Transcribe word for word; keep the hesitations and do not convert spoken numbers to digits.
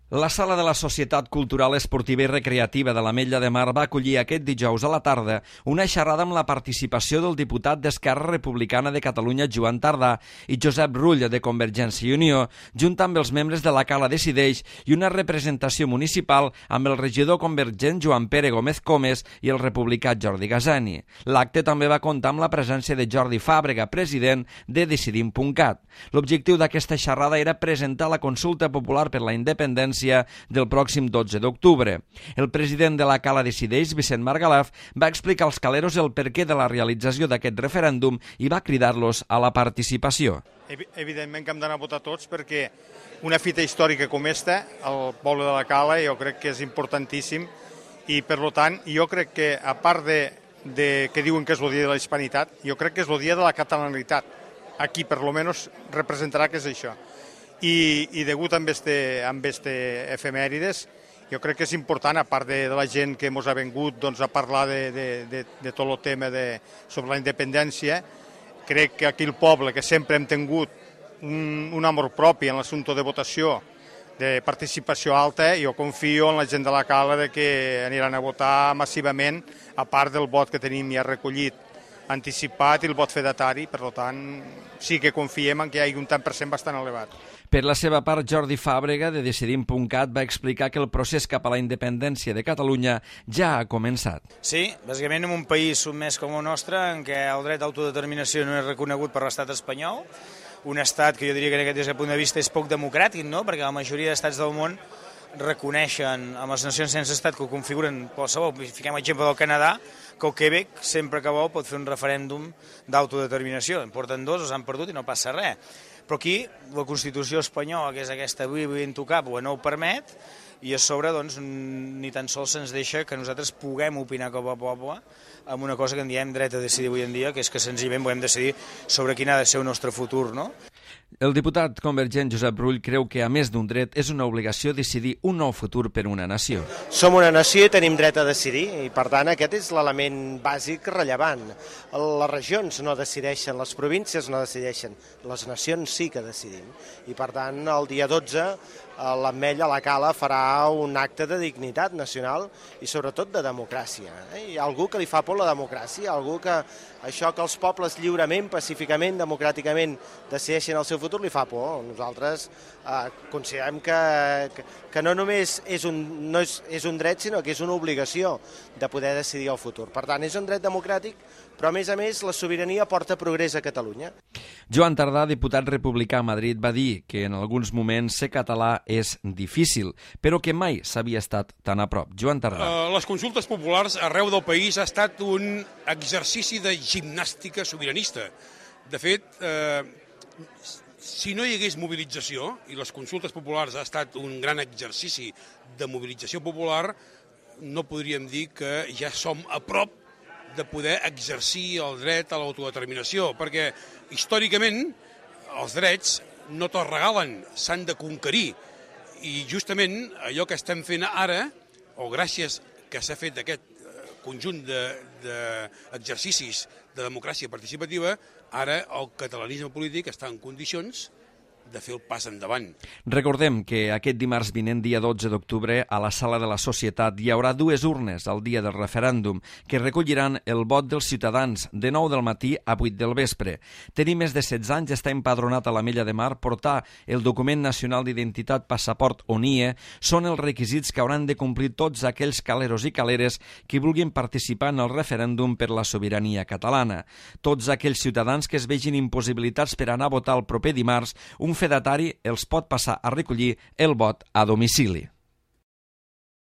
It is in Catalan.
La Sala de la Societat Cultural, Esportiva i Recreativa de l'Ametlla de Mar va acollir aquest dijous a la tarda una xerrada amb la participació del diputat d'Esquerra Republicana de Catalunya, Joan Tardà, i Josep Rull, de Convergència i Unió, junt amb els membres de la Cala Decideix i una representació municipal amb el regidor convergent Joan Pere Gómez Comes i el republicà Jordi Gasani. L'acte també va comptar amb la presència de Jordi Fàbrega, president de Decidim punt cat. L'objectiu d'aquesta xerrada era presentar la consulta popular per la independència del pròxim dotze d'octubre. El president de la Cala Decideix, Vicent Margalaf, va explicar als caleros el perquè de la realització d'aquest referèndum i va cridar-los a la participació. Evidentment que hem d'anar a votar tots perquè una fita històrica com esta, el poble de la Cala, jo crec que és importantíssim i, per tant, jo crec que, a part de, de que diuen que és el dia de la hispanitat, jo crec que és el dia de la catalanitat. Aquí, per lo menos, representarà que és això. I, i degut amb este, amb este efemèrides, jo crec que és important, a part de, de la gent que ens ha vingut doncs, a parlar de, de, de, de tot el tema de, sobre la independència, crec que aquí el poble, que sempre hem tingut un, un amor propi en l'assumpte de votació, de participació alta, jo confio en la gent de la Cala de que aniran a votar massivament, a part del vot que tenim ja recollit anticipat i el vot fedatari, per tant, sí que confiem en que hi hagi un tant per cent bastant elevat. Per la seva part, Jordi Fàbrega, de Decidim punt cat, va explicar que el procés cap a la independència de Catalunya ja ha començat. Sí, bàsicament en un país sotmès com el nostre, en què el dret d'autodeterminació no és reconegut per l'estat espanyol, un estat que jo diria que des d'aquest punt de vista és poc democràtic, no? Perquè la majoria d'estats del món reconeixen amb les nacions sense estat que ho configuren qualsevol. Fiquem l'exemple del Canadà, que el Quebec, sempre que vol, pot fer un referèndum d'autodeterminació. En porten dos, els han perdut i no passa res. Però aquí la Constitució espanyola, que és aquesta avui intocable, no ho permet, i a sobre doncs, ni tan sols se'ns deixa que nosaltres puguem opinar com a poble amb una cosa que en diem dret a decidir avui en dia, que és que senzillament volem decidir sobre quin ha de ser el nostre futur, no? El diputat convergent Josep Rull creu que, a més d'un dret, és una obligació decidir un nou futur per una nació. Som una nació i tenim dret a decidir, i per tant aquest és l'element bàsic rellevant. Les regions no decideixen, les províncies no decideixen, les nacions sí que decidim. I per tant, el dia dotze, l'Ametlla, la Cala, farà un acte de dignitat nacional i sobretot de democràcia. Hi ha algú que li fa por la democràcia, algú que això que els pobles lliurement, pacíficament, democràticament decideixen el seu futur li fa por. Nosaltres eh, considerem que, que, que no només és un, no és, és un dret, sinó que és una obligació de poder decidir el futur. Per tant, és un dret democràtic, però a més a més la sobirania porta progrés a Catalunya. Joan Tardà, diputat republicà a Madrid, va dir que en alguns moments ser català és difícil, però que mai s'havia estat tan a prop. Joan Tardà. Uh, les consultes populars arreu del país ha estat un exercici de gimnàstica sobiranista. De fet, eh, si no hi hagués mobilització, i les consultes populars ha estat un gran exercici de mobilització popular, no podríem dir que ja som a prop de poder exercir el dret a l'autodeterminació, perquè històricament els drets no te'ls regalen, s'han de conquerir. I justament allò que estem fent ara, o gràcies que s'ha fet aquest conjunt d'exercicis de, de, de democràcia participativa, ara el catalanisme polític està en condicions de fer el pas endavant. Recordem que aquest dimarts vinent, dia dotze d'octubre, a la Sala de la Societat hi haurà dues urnes al dia del referèndum que recolliran el vot dels ciutadans de nou del matí a vuit del vespre. Tenir més de setze anys, estar empadronat a l'Ametlla de Mar, portar el document nacional d'identitat passaport o N I E són els requisits que hauran de complir tots aquells caleros i caleres que vulguin participar en el referèndum per la sobirania catalana. Tots aquells ciutadans que es vegin impossibilitats per anar a votar el proper dimarts, un fedatari els pot passar a recollir el vot a domicili.